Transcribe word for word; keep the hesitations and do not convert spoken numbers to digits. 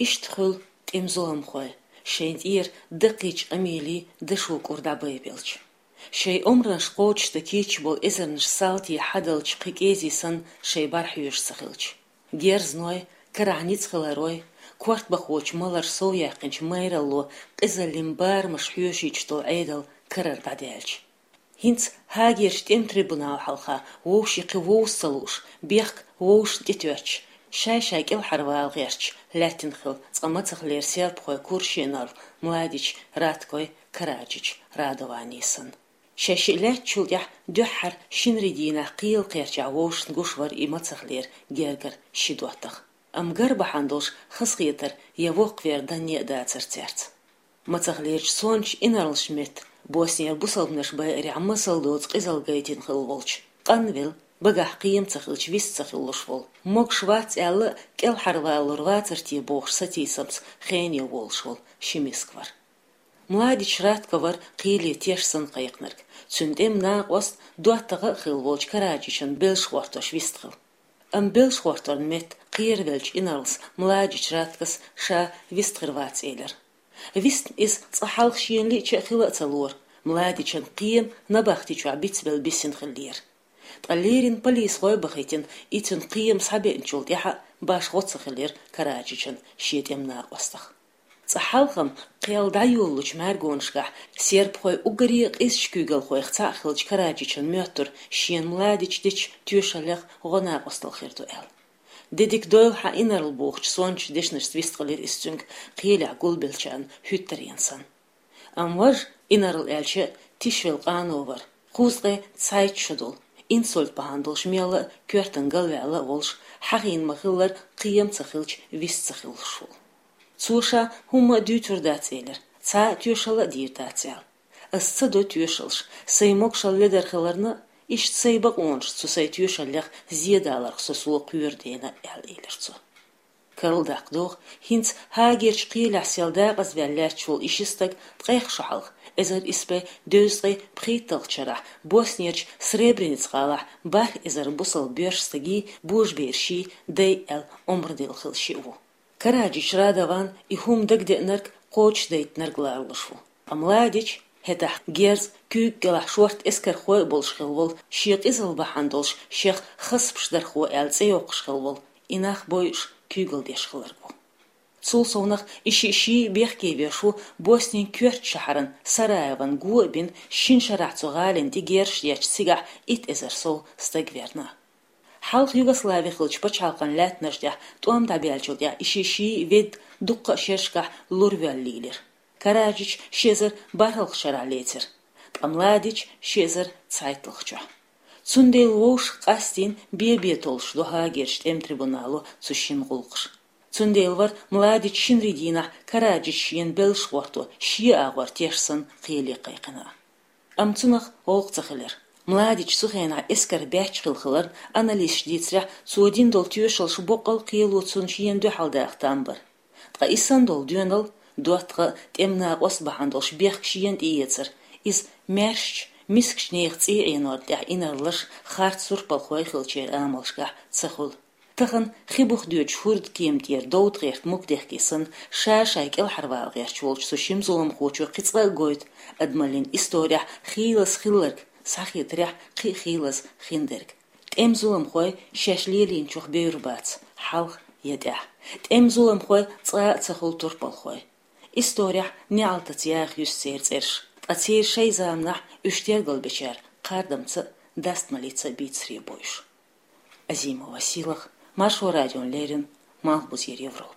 Иштта хуьлу тӀеман зуламхой, шайн тӀера даккхийчу къамелан дашо кӀур дӀабайбелча. Шайн омранаш кхочушдан кийча болу эзарнаш салтий хьадалча кхин кӀеззиг санна шайн бӀаьрахьоьжуш ца хилча. Герзаной, карахь ницкъ хиларой, кортабахочу маларш совъяьккхинчу майралло къизаллин барамаш хьоьшуьйтуш долу Ӏедал карара дӀадаьлча. ХӀинца ХӀаагерчу тӀеман трибунал хьалха вовшийн кхин вовза ца лууш, бехк вовшашна тӀетоьттуш, шай-шай кӀелхьарвала гӀерташ лаьттина хилла цкъа мацахлера сербхойн кура шиъ инарла Младич Раткой, Караджич Радований санна. Шаьш шиъ лаьттачул тӀаьхьа дуьххьара шинарин дийнахь кхелан кхерчахь вовшашна гуш вара и мацахлера гергара ши доттагӀа. Амма гар бахьана долуш хазахетар я воккхавер данне а дацара цаьрца. Мацахлерчу сонтачу инарлашна метта, Боснера бусалбанаш байарехь масал доцу къизалла гайтина хилла волчу, къанвелла, багахь кхиам ца хилча вист ца хилалуш волу, могуш вац аьлла а, кӀелхьарвалалур вацара те бохуш сатийсамца хене волуш волу ши миска вара. Младич Ратко вара кхеле теш санна кхайкхинарг. Цуьнан тӀеман накъост, доттагӀа а хилла волчу Караджичан белш гӀортош вистхилла. Амма белш гӀорторна метта кхеравеллачу инарлас Младич Раткос ша вистхир вац элира. Вистна иза цкъа хьалха шена лиъча а хила а ца лора, Младичан кхиам набахти чохь бицбелла бисина хиллера. Ткъа леррина полисхой а бахийтина, и цуьнан кхиам схьабеъначул тӀаьхьа башха гӀо ца хилира Караджичан шен тӀеман накъостах. Цкъа хьалха-м кхел дӀайолалучу мӀаьргонашкахь сербхойн уггаре а къизачу куьйгалхойх цхьаъ хиллачу Караджичан моьттура шена Младича дечу тоьшаллех гӀо-накъосталла хир ду аьлла. Де дика дойла хьан инарла бохучу сонтачу дешнашца вистхилира иза цуьнга кхелехь гулбеллачарна хӀуьттаренна санна. Амма важа, инарла аьлча, тишвелла къано вара, кхузткъе цхьайтта шо долу, инсульт бахьана долуш мелла а, коьртана галваьлла а волуш, хьахийна ма-хиллара, кхиам ца хилча вист ца хилалуш волу. Цо ша хӀумма а дуьйцур дац элира, цхьа а тоьшалла а дийр дац аьлла. Ас ца до тоьшаллаш, сайн могушалла ледара хиларна а, иштта сайн бакъонаш цу сайн тоьшаллех зен даларх со сов кхоьру дена, аьлла элира цо. Карладаккха догӀу, хӀинца ХӀаагерчу кхелехь сел дакъазваьлла лаьтташ волу и ши стаг ткъех шо хьалха, эзар исс бӀе дезткъе пхийтталгӀачу шарахь Боснерчу Сребреница гӀалахь бархӀ эзар бусалба боьрша стагий, божабераший дай аьлла омра делла хилла шиъ ву. Караджич Радован и хӀума дагадеънарг, кхочушдайтинарг ларалуш ву. Ткъа Младич, хӀетахь герз, куьйга кӀелахь шорта эскархой а болуш хилла волу, шен къизалла бахьана долуш шех хасбаш дархо аьлла цӀе йоккхуш хилла волу, и нах бойуш, куьйгалла деш хилларг ву. Цул совнах и шиъ ший а бехке веш ву Боснин коьртачу шахьаран Сараеван го а бина, шина шарахь цу гӀалина тӀе герзаш детташ цигахь итт эзар сов стаг верна. Хьалха Югослави хиллачу пачхьалкхан лаьттанаш тӀехь тӀом дӀабаьллачул тӀаьхьа и шиъ ший а ведда дуккха а шерашкахь лур воьлла лийлира. Караджич ши эзар бархӀалгӀачу шарахь лецира, ткъа Младич ши эзар цхьайтталгӀачохь. Цундела вовшах къастийна бе-бе толлуш ду ХӀаагерчу тӀеман трибунало цу шинна гӀуллакхаш. Цундела вара Младич шинарин дийнахь Караджича шена белш гӀорто, шен агӀор теш санна кхеле кхайкхина. Амма цунах гӀуллакх ца хилира. Младич цу хенахь эскаран баьчча хилла хиларна, аналисташа дийцарехь, цо дина долу тоьшаллаш боккъал а кхело цунна шена дуьхьал даха там бара. Ткъа и санна долу доьналла, доттагӀа а, тӀеман накъост а бахьана долуш бехк шена тӀеэцар, иза маьршачу, мискачу нехан цӀий Ӏенорна тӀехь инарлаш, харц турпалхой хиллачеран амалшкахь ца хуьлу. Тахана хи бух доьдучу хӀордан кема тӀера довда гӀерта мугдехке санна, ша-шай кӀелхьарвала гӀерташ волчу цу шина зуламхочо кхин цкъа а гойту адамаллин исторехь хийлаза хилларг, схьахетарехь, кхин а хийлаза хиндерг. ТӀеман зуламхой шаьш лелийначух бевр бац, хьалха я тӀаьхьа. ТӀеман зуламхой цкъа а ца хуьлу турпалхой. Исторехь неӀалтаца яха юьсу церан цӀераш, ткъа церан шайн заманахь уьш тергалбечара кхардамца а, дастамаллица а бийцаре бойуш. Азимова Сийлаха, Маршо радиона леррина, Малхбузера Европа.